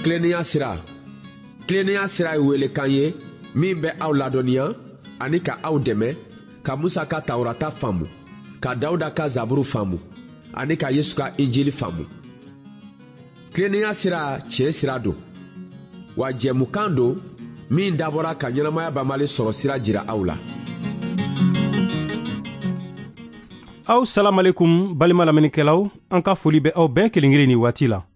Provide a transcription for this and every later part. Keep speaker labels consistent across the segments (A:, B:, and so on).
A: Tilennenya sira. Tilennenya sira ye welekan ye min bɛ aw ladɔnniya ani ka aw dɛmɛ ka Musa ka Tawurata faamu, ka Dawuda ka Zaburu faamu ani ka Yesu ka Injili faamu. Tilennenya sira tiɲɛ sira don, wa jɛmukan don min dabɔra ka ɲɛnamaya banbali sɔrɔ sira jira aw la.
B: Aw salamalekum balima lamɛnnikɛlaw, an ka foli bɛ aw bɛɛ kelen kelen ni waati la.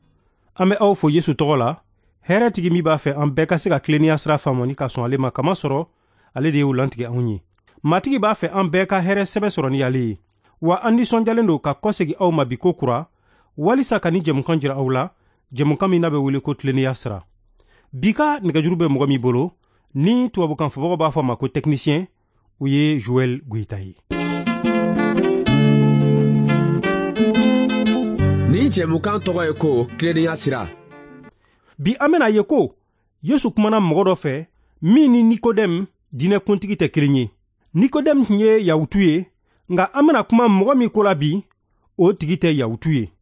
B: An bɛ aw fo Yesu tɔgɔ la, hɛrɛtigi min b'a fɛ an bɛɛ ka se ka tilennenya sira faamu ni ka sɔn ale ma, kamasɔrɔ ale de y'o lantigɛ anw ye. Matigi b'a fɛ an bɛɛ ka hɛrɛ sɛbɛ sɔrɔ ni ale ye. Wa an nisɔndiyalen don ka kɔsegin aw ma bi ko kura, walisa ka ni jɛmukan jira aw la, jɛmukan min n'a bɛ wele ko tilennenya sira. Bi ka nɛgɛjuru bɛ mɔgɔ min bolo, ni tubabukan fɔbagaw b'a fɔ a ma ko technicien, o ye Joël Goïta ye.
A: Nin jɛmukan tɔgɔ ye ko tilennenya sira.
B: Bi an bɛna ye ko Yesu kumana mɔgɔ dɔ fɛ min ni Nikodɛmu diinɛkuntigi tɛ kelen ye. Nikodɛmu tun ye Yahutu ye, nka an bɛna kuma mɔgɔ min ko la bi, o tigi tɛ Yahutu ye.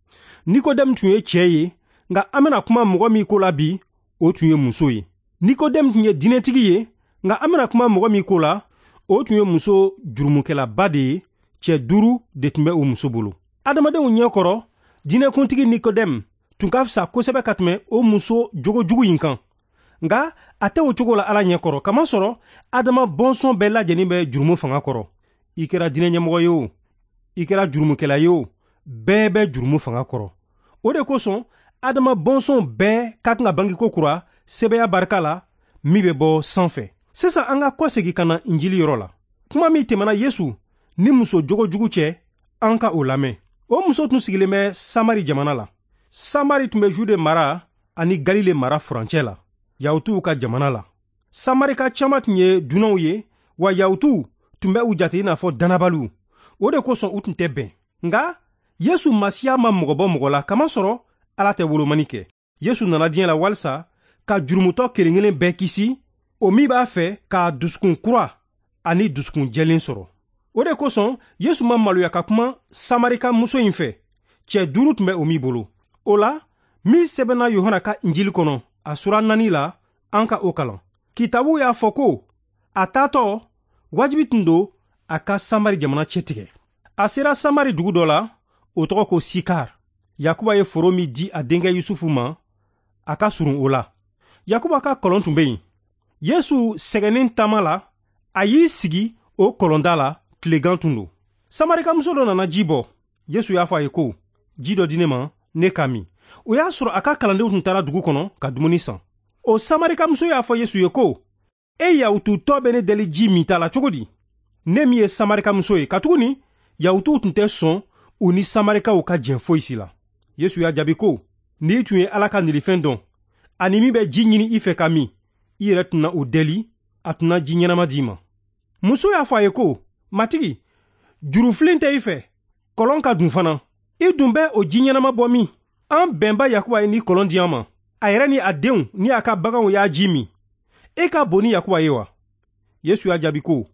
B: Nikodɛmu tun ye cɛ ye, nka an bɛna kuma mɔgɔ min ko la bi, o tun ye muso ye. Nikodɛmu tun ye diinɛtigi ye, nka an bɛna kuma mɔgɔ min ko la, o tun ye muso jurumukɛlaba de ye, cɛ 5 de tun bɛ o muso bolo. Adamadenw ɲɛ kɔrɔ, diinɛkuntigi Nikodɛmu tun ka fisa kosɛbɛ ka tɛmɛ o muso jogojugu in kan. Nka a tɛ o cogo la Ala ɲɛ kɔrɔ, kamasɔrɔ Adama bɔnsɔn bɛɛ lajɛlen bɛ jurumu fanga kɔrɔ. I kɛra diinɛ ɲɛmɔgɔ ye o, i kɛra jurumukɛla ye o, bɛɛ bɛ jurumu fanga kɔrɔ. O de kosɔn Adama bɔnsɔn bɛɛ ka kan ka bange ko kura sɛbɛya barika la min bɛ bɔ sanfɛ. Sisan an ka kɔsegin ka na Injili yɔrɔ la. Kuma min tɛmɛna Yesu ni muso jogojugu cɛ, an ka o lamɛn. O muso tun sigilen bɛ Samari jamana la. Samari tun bɛ Jude mara ani Galile mara furancɛ la, Yahutuw ka jamana la. Samarika caman tun ye dunanw ye, wa Yahutuw tun bɛ u jate i n'a fɔ dannabaliw. O de kosɔn u tun tɛ bɛn. Nka Yesu Masiya ma mɔgɔ bɔ mɔgɔ la, kamasɔrɔ Ala tɛ wolomani kɛ. Yesu nana diɲɛ la walisa ka jurumutɔ kelen kelen bɛɛ kisi, o min b'a fɛ k'a dusukun kura ani dusukun jɛlen sɔrɔ. O de kosɔn Yesu ma maloya ka kuma Samarika muso in fɛ, cɛ 5 tun bɛ o min bolo. O la, min sɛbɛnna Yohana ka Injili kɔnɔ, a sura 4 la, an ka o kalan. Kitabu y'a fɔ ko a taatɔ wajibi tun don a ka Samari jamana cɛtigɛ. A sera Samari dugu dɔ la, o tɔgɔ ko Sikar. Yakuba ye foro min di a denkɛ Yusufu ma, a ka surun o la. Yakuba ka kɔlɔn tun bɛ yen. Yesu sɛgɛnnen taama la, a y'i sigi o kɔlɔnda la, tilegan tun don. Samarikamuso dɔ nana ji bɔ. Yesu y'a fɔ a ye ko, ji dɔ di ne ma, ne ka min. O y'a sɔrɔ a ka kalandenw tun taara dugu kɔnɔ ka dumuni san. O Samarikamuso y'a fɔ Yesu ye ko, e Yahututɔ bɛ ne deli ji min ta la cogo di? Ne min ye Samarikamuso ye, katuguni Yahutuw tun tɛ sɔn u ni Samarikaw ka jɛn foyi si la. Yesu y'a jaabi ko, n'i tun ye Ala ka nilifɛn dɔn, ani min bɛ ji ɲini i fɛ ka min, i yɛrɛ tun na o deli, a tun na ji ɲɛnama d'i ma. Muso y'a fɔ a ye ko, Matigi, jurufilen tɛ i fɛ, kɔlɔn ka dun fana. I dun bɛ o ji ɲɛnama bɔ min? An bɛnba Yakuba ye ni kɔlɔn di an ma. A yɛrɛ ni a denw ni a ka baganw y'a ji min. E ka bon ni Yakuba ye wa? Yesu y'a jaabi ko,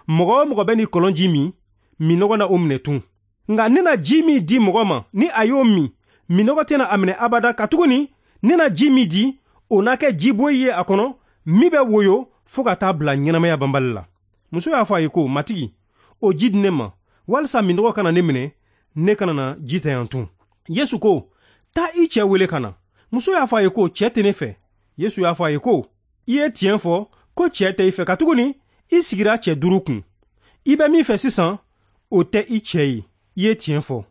B: mɔgɔ o mɔgɔ bɛ ni kɔlɔn ji min, minnɔgɔ na o minɛ tun. Nka ne na ji min di mɔgɔ ma, ni a y'o min, minnɔgɔ tɛna a minɛ abada, katuguni ne na ji min di, o na kɛ jiboyi ye a kɔnɔ, min bɛ woyo fo ka taa bila ɲɛnamaya banbali la. Muso y'a fɔ a ye ko, Matigi, o ji di ne ma, walisa minnɔgɔ kana ne minɛ, ne kana na ji ta yan tun. Yesu ko, taa i cɛ wele ka na. Muso y'a fɔ a ye ko, cɛ tɛ ne fɛ. Yesu y'a fɔ a ye ko, i ye tiɲɛ fɔ ko cɛ tɛ i fɛ, katuguni i sigira cɛ 5 kun. I bɛ min fɛ sisan, o tɛ i cɛ ye. I ye tiɲɛ fɔ.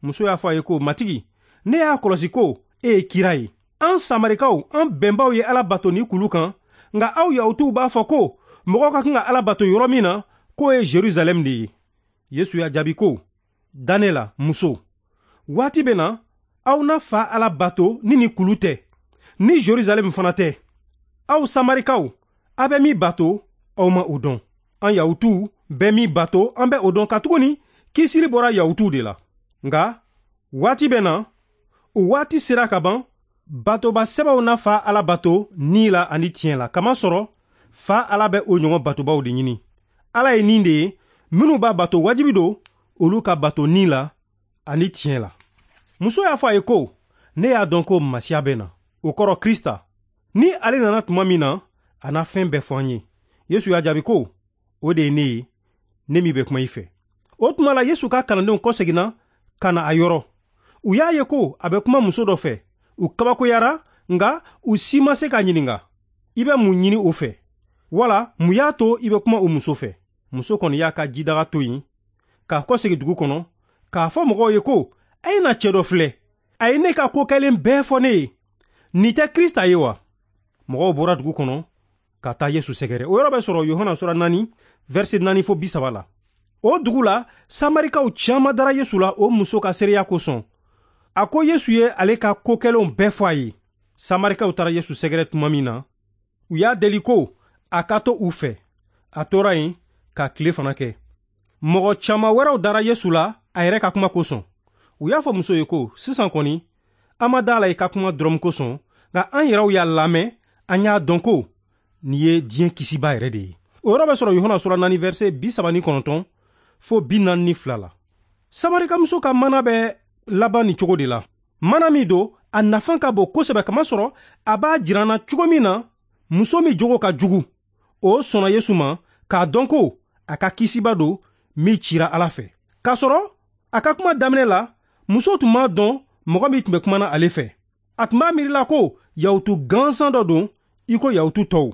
B: Muso y'a fɔ a ye ko, Matigi, ne y'a kɔlɔsi ko e ye kira ye. An Samarikaw, an bɛnbaw ye Ala bato ni kulu kan, nka aw Yahutuw b'a fɔ ko mɔgɔw ka kan ka Ala bato yɔrɔ min na, k'o ye Jerusalɛm de ye. Yesu y'a jaabi ko, da ne la, muso. Waati bɛ na, aw na fa Ala bato ni nin kulu tɛ, ni Jerusalɛm fana tɛ. Aw Samarikaw, aw bɛ min bato, aw ma o dɔn. An Yahutuw bɛ min bato, an bɛ o dɔn, katuguni kisili bɔra Yahutuw de la. Nka waati bɛ na, o waati sera ka ban, batoba sɛbɛw na fa Ala bato ni la ani tiɲɛ la, kamasɔrɔ fa Ala bɛ o ɲɔgɔn batobaw de ɲini. Ala ye nin de ye, minnu b'a bato wajibi don, olu ka bato ni la ani tiɲɛ la. Muso y'a fɔ a ye ko, ne y'a dɔn ko Masiya bɛ na. o kɔrɔ Krista. Ni ale nana tuma min na, a na fɛn bɛɛ fɔ an ye. Yesu y'a jaabi ko, o de ye ne ye, ne min bɛ kuma i fɛ. O tuma la Yesu ka kalandenw kɔseginna ka na a yɔrɔ. U y'a ye ko a bɛ kuma muso dɔ fɛ. U kabakoyara, nka u si ma se k'a ɲininka, i bɛ mun ɲini o fɛ? Wala mun y'a to i bɛ kuma o muso fɛ? Muso kɔni y'a ka jidaga to yen, k'a kɔsegin dugu kɔnɔ, k'a fɔ mɔgɔw ye ko, a ye na cɛ dɔ filɛ, a ye ne ka ko kɛlen bɛɛ fɔ ne ye. Nin tɛ Krista ye wa? Mɔgɔw bɔra dugu kɔnɔ ka taa Yesu sɛgɛrɛ. O yɔrɔ bɛ sɔrɔ Yohana sura 4, verset 4 fo 30 la. O dugu la, Samarikaw caman dara Yesu la o muso ka seereya kosɔn. A ko Yesu ye ale ka ko kɛlenw bɛɛ fɔ a ye. Samarikaw taara Yesu sɛgɛrɛ tuma min na, u y'a deli ko a ka to u fɛ. A tora yen ka tile fana kɛ. Mɔgɔ caman wɛrɛw dara Yesu la a yɛrɛ ka kuma kosɔn. U y'a fɔ muso ye ko, sisan kɔni, an ma da la i ka kuma dɔrɔn kosɔn, nka an yɛrɛw y'a lamɛn, an y'a dɔn ko nin ye diɲɛ kisiba yɛrɛ de ye. O yɔrɔ bɛ sɔrɔ Yohana sura 4 verset 39 fo 42 la. Samarikamuso ka mana bɛ laban nin cogo de la. Mana min don, a nafa ka bon kosɛbɛ, kamasɔrɔ a b'a jira an na cogo min na muso min jogo ka jugu, o sɔnna Yesu ma k'a dɔn ko a ka kisiba don min cira Ala fɛ. K'a sɔrɔ a ka kuma daminɛ la, muso tun m'a dɔn mɔgɔ min tun bɛ kuma na ale fɛ. A tun b'a miirila ko Yahutu gansan dɔ don i ko Yahutu tɔw.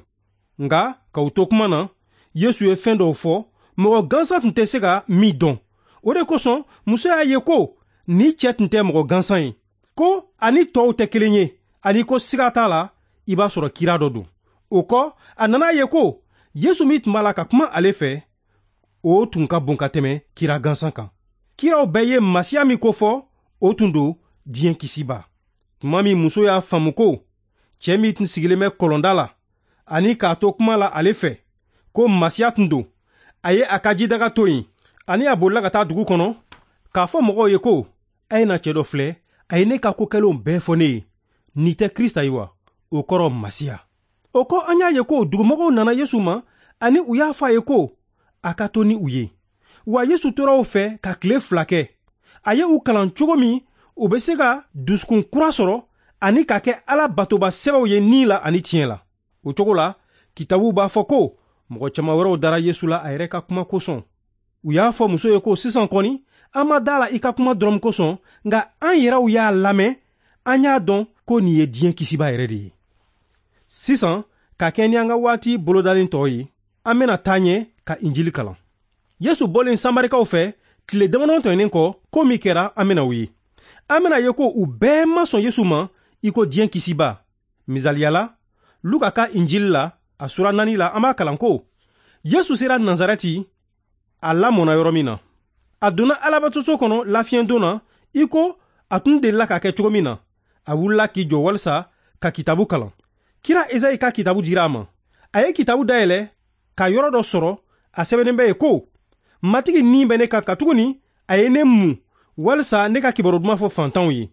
B: Nka k'u to kuma na, Yesu ye fɛn dɔw fɔ mɔgɔ gansan tun tɛ se ka min dɔn. O de kosɔn muso y'a ye ko ni cɛ tun tɛ mɔgɔ gansan ye, ko ani tɔw tɛ kelen ye, ani ko siga t'a la i b'a sɔrɔ kira dɔ don. O kɔ, a nana ye ko Yesu min tun b'a la ka kuma ale fɛ, o tun ka bon ka tɛmɛ kira gansan kan. Kiraw bɛɛ ye Masiya min kofɔ, o tun don diɲɛ kisiba. Tuma min muso y'a faamu ko cɛ min tun sigilen bɛ kɔlɔnda la ani k'a to kuma la ale fɛ ko Masiya tun don, a ye a ka jidaga to yen, ani a bolila ka taa dugu kɔnɔ k'a fɔ mɔgɔw ye ko, a ye na cɛ dɔ filɛ, a ye ne ka ko kɛlenw bɛɛ fɔ ne ye. Nin tɛ Krista ye wa? O kɔrɔ Masiya. O kɔ, an y'a ye ko dugumɔgɔw nana Yesu ma ani u y'a fɔ a ye ko a ka to ni u ye. Wa Yesu tora u fɛ ka tile 2 kɛ. A ye u kalan cogo min u bɛ se ka dusukun kura sɔrɔ ani ka kɛ Ala batoba sɛbɛw ye ni la ani tiɲɛ la. O cogo la, kitabuw b'a fɔ ko mɔgɔ caman wɛrɛw dara Yesu la a yɛrɛ ka kuma kosɔn. U y'a fɔ muso ye ko, sisan kɔni, an ma da la i ka kuma dɔrɔn kosɔn, nka an yɛrɛw y'a lamɛn, an y'a dɔn ko nin ye diɲɛ kisiba yɛrɛ de ye. Sisan, ka kɛ ni an ka waati bolodalen tɔ ye, an bɛna taa ɲɛ ka Injili kalan. Yesu bɔlen Samarikaw fɛ tile damadɔ tɛmɛnen kɔ, ko min kɛra, an bɛna o ye. An bɛna ye ko u bɛɛ ma sɔn Yesu ma i ko diɲɛ kisiba. Misaliya la, Luka ka Injili la, a sura 4 la, an b'a kalan ko Yesu sera Nazarɛti, a lamɔna yɔrɔ min na. A donna Alabatoso kɔnɔ lafiɲɛdon na i ko a tun delila ka kɛ cogo min na. A wulila k'i jɔ walisa ka kitabu kalan. Kira Ezayi ka kitabu dira a ma. A ye kitabu dayɛlɛ ka yɔrɔ dɔ sɔrɔ, a sɛbɛnnen bɛ ye ko, Matigi ni bɛ ne kan katuguni a ye ne mun walisa ne ka kibaru duman fɔ fantanw ye.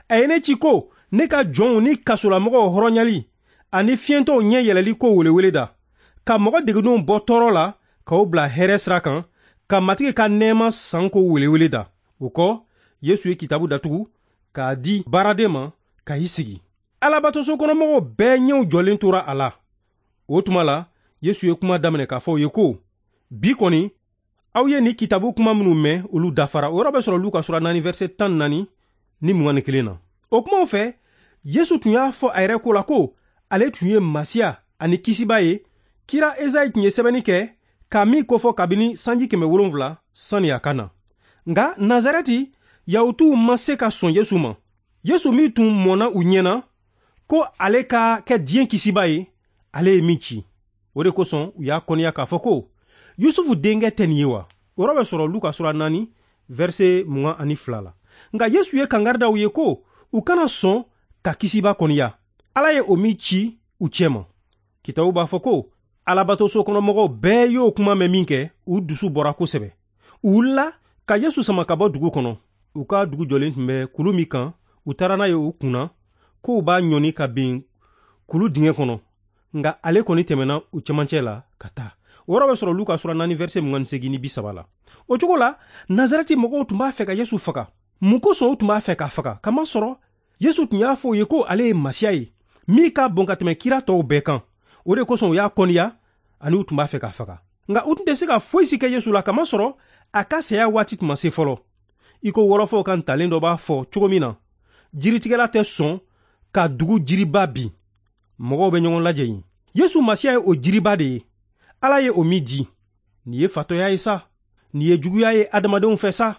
B: A ye ne ci ko ne ka jɔnw ni kasolamɔgɔw hɔrɔnyali ani fiyɛntɔw ɲɛ yɛlɛli ko welewele da, ka mɔgɔ degunnenw bɔ tɔɔrɔ la k'o bila hɛrɛ sira kan, ka Matigi ka nɛɛma san ko welewele da. O kɔ, Yesu ye kitabu datugu k'a di baaraden ma ka i sigi. Alabatoso kɔnɔmɔgɔw bɛɛ ɲɛw jɔlen tora a la. O tuma la, Yesu ye kuma daminɛ k'a fɔ u ye ko, bi kɔni, aw ye nin kitabu kuma minnu mɛn, olu dafara. O yɔrɔ bɛ sɔrɔ Luka sura 4 verset 14 ni 21 na. O kumaw fɛ, Yesu tun y'a fɔ a yɛrɛ ko la ko ale tun ye Masiya ani kisiba ye. Kira Ezayi tun ye sɛbɛnni kɛ ka min kofɔ kabini sanji 700 sani a ka na. Nka Nazarɛti, Yahutuw ma se ka sɔn Yesu ma. Yesu min tun mɔnna u ɲɛna ko ale ka kɛ diɲɛ kisiba ye, ale ye min ci. O de kosɔn u y'a kɔniya k'a fɔ ko Yusufu denkɛ tɛ nin ye wa? O yɔrɔ bɛ sɔrɔ Luka sura 4 verset 22 la. Nka Yesu ye kangari da u ye ko u kana sɔn ka kisiba kɔniya, Ala ye o min ci u cɛ ma. Kitabu b'a fɔ ko Alabatoso kɔnɔmɔgɔw bɛɛ y'o kuma mɛn min kɛ, u dusu bɔra kosɛbɛ. U wulila ka Yesu sama ka bɔ dugu kɔnɔ. U ka dugu jɔlen tun bɛ kulu min kan, u taara n'a ye u kunna k'u b'a ɲɔni ka bin kulu dingɛ kɔnɔ. Nka ale kɔni tɛmɛna u cɛmancɛ la ka taa. O yɔrɔ bɛ sɔrɔ Luka sura 4 verset 28 ni 30 la. O cogo la, Nazarɛti mɔgɔw tun b'a fɛ ka Yesu faga. Mun kosɔn u tun b'a fɛ k'a faga? Kamasɔrɔ Yesu tun y'a fɔ u ye ko ale ye Masiya ye. min ka bon ka tɛmɛ kira tɔw bɛɛ kan. O de kosɔn u y'a kɔniya ani u tun b'a fɛ k'a faga. Nka u tun tɛ se ka foyi si kɛ Yesu la, kamasɔrɔ a ka saya waati tun ma se fɔlɔ. I ko wɔlɔfɔw ka ntalen dɔ b'a fɔ cogo min na, jiritigɛla tɛ sɔn ka dugu jiriba bin. Mɔgɔw bɛ ɲɔgɔn lajɛ yen. Yesu Masiya ye o jiriba de ye. Ala ye o min di. Nin ye fatɔya ye sa. Nin ye juguya ye adamadenw fɛ sa.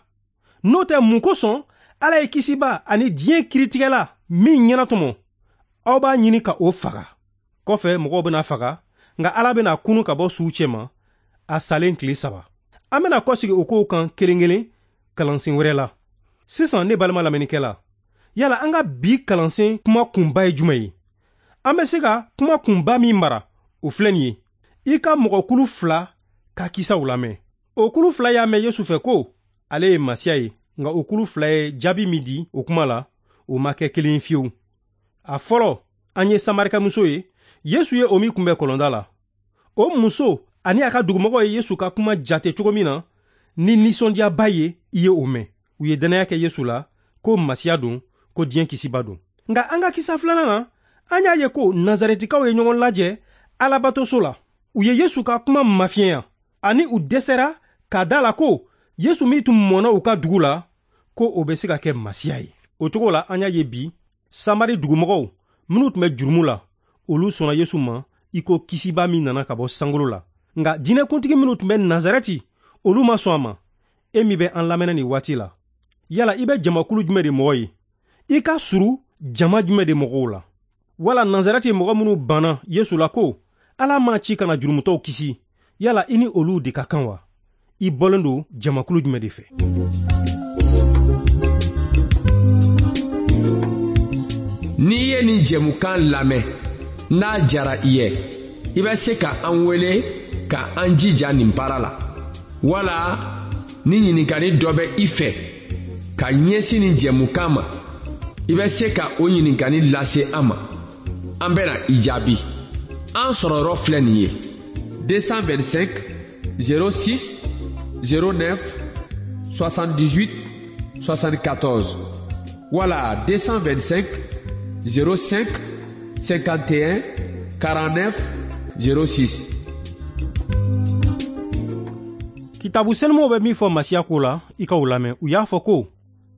B: N'o tɛ, mun kosɔn Ala ye kisiba ani diɲɛ kiritigɛla min ɲɛnatɔmɔ, aw b'a ɲini ka o faga. Kɔfɛ mɔgɔw bɛna faga, nka Ala bɛna kunu ka bɔ suw cɛma a salen tile 3. An bɛna kɔsigi o kow kan kelen kelen kalansen wɛrɛ la. Sisan ne balima lamɛnnikɛla, yala an ka bi kalansen kuma kunba ye jumɛn ye? An bɛ se ka kuma kunba min mara, o filɛ nin ye. I ka mɔgɔkulu 2 ka kisaw lamɛn. O kulu 2 y'a mɛn Yesu fɛ ko ale ye Masiya ye, nka o kulu 2 ye jaabi min di o kuma la, o ma kɛ kelen ye fiyewu. A fɔlɔ, an ye Samarikamuso ye, Yesu ye o min kunbɛn kɔlɔnda la. O muso ani a ka dugumɔgɔw ye Yesu ka kuma jate cogo min na ni nisɔndiyaba ye, i ye o mɛn. U ye dannaya kɛ Yesu la ko Masiya don, ko diɲɛ kisiba don. Nka an ka kisa filanan na, an y'a ye ko Nazarɛtikaw ye ɲɔgɔn lajɛ Alabatoso la. U ye Yesu ka kuma mafiɲɛya ani u dɛsɛra k'a da la ko Yesu min tun mɔnna u ka dugu la, ko o bɛ se ka kɛ Masiya ye. O cogo la, an y'a ye bi Samari dugumɔgɔw minnu tun bɛ jurumu la, olu sɔnna Yesu ma i ko kisiba min nana ka bɔ sankolo la. Nka diinɛkuntigi minnu tun bɛ Nazarɛti, olu ma sɔn a ma. E min bɛ an lamɛnna nin waati la, yala i bɛ jamakulu jumɛn de mɔgɔ ye? I ka suru jama jumɛn de mɔgɔw la? Wala Nazarɛti mɔgɔ minnu banna Yesu la ko Ala m'a ci ka na jurumutɔw kisi, yala i ni olu de ka kan wa? I bɔlen don jamakulu jumɛn de fɛ?
A: N'i ye nin jɛmukan lamɛn, n'a jara i ye, i bɛ se ka an wele ka an jija nin baara la. Wala ni ɲininkali dɔ bɛ i fɛ ka ɲɛsin nin jɛmukan ma, i bɛ se ka o ɲininkali lase an ma. An bɛna i jaabi. An sɔrɔyɔrɔ filɛ nin ye: 225 06 09 78 74 wala 225 05 51 49 06.
B: Kitabu senumaw bɛ min fɔ Masiya ko la, i k'o lamɛn. U y'a fɔ ko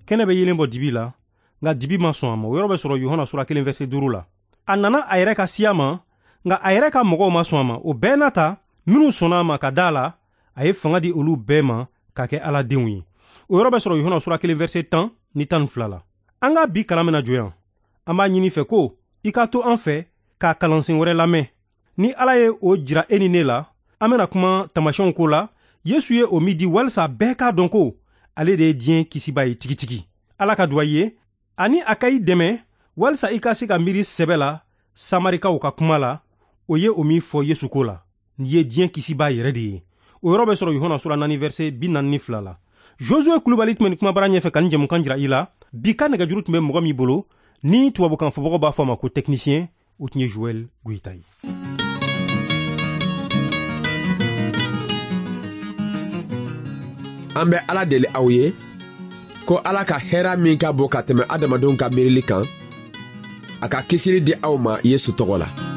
B: kɛnɛ bɛ yelen bɔ dibi la, nka dibi ma sɔn a ma. O yɔrɔ bɛ sɔrɔ Yohana sura 1 verset 5 la. A nana a yɛrɛ ka siya ma, nka a yɛrɛ ka mɔgɔw ma sɔn a ma. O bɛɛ n'a ta, minnu sɔnna a ma ka da la, a ye fanga di olu bɛɛ ma ka kɛ Ala denw ye. O yɔrɔ bɛ sɔrɔ Yohana sura 1 verset 10 ni 12 la. An ka bi kalan bɛna jɔ yan. An b'a ɲini fɛ ko i ka to an fɛ ka kalansen wɛrɛ lamɛn. Ni Ala ye o jira e ni ne la, an bɛna kuma taamasiyɛnw ko la. Yesu ye o min di walisa bɛɛ k'a dɔn ko ale de ye diɲɛ kisiba ye tigitigi. Ala ka duwa i ye ani a ka i dɛmɛ walisa i ka se ka miiri sɛbɛ la Samarikaw ka kuma la, o ye o min fɔ Yesu ko la. Nin ye diɲɛ kisiba yɛrɛ de ye. O yɔrɔ bɛ sɔrɔ Yohana sura 4 verset 42 la. Josue Kulubali tun bɛ nin kumabara ɲɛfɛ ka nin jɛmukan jira i la. Bi ka nɛgɛjuru tun bɛ mɔgɔ min bolo, ni tubabukan fɔbagaw b'a fɔ a ma ko technicien, o tun ye Joël Goyita ye.
A: An bɛ Ala deli aw ye ko Ala ka hɛrɛ min ka bon ka tɛmɛ adamadenw ka miirili kan, a ka kisili di aw ma Yesu tɔgɔ la.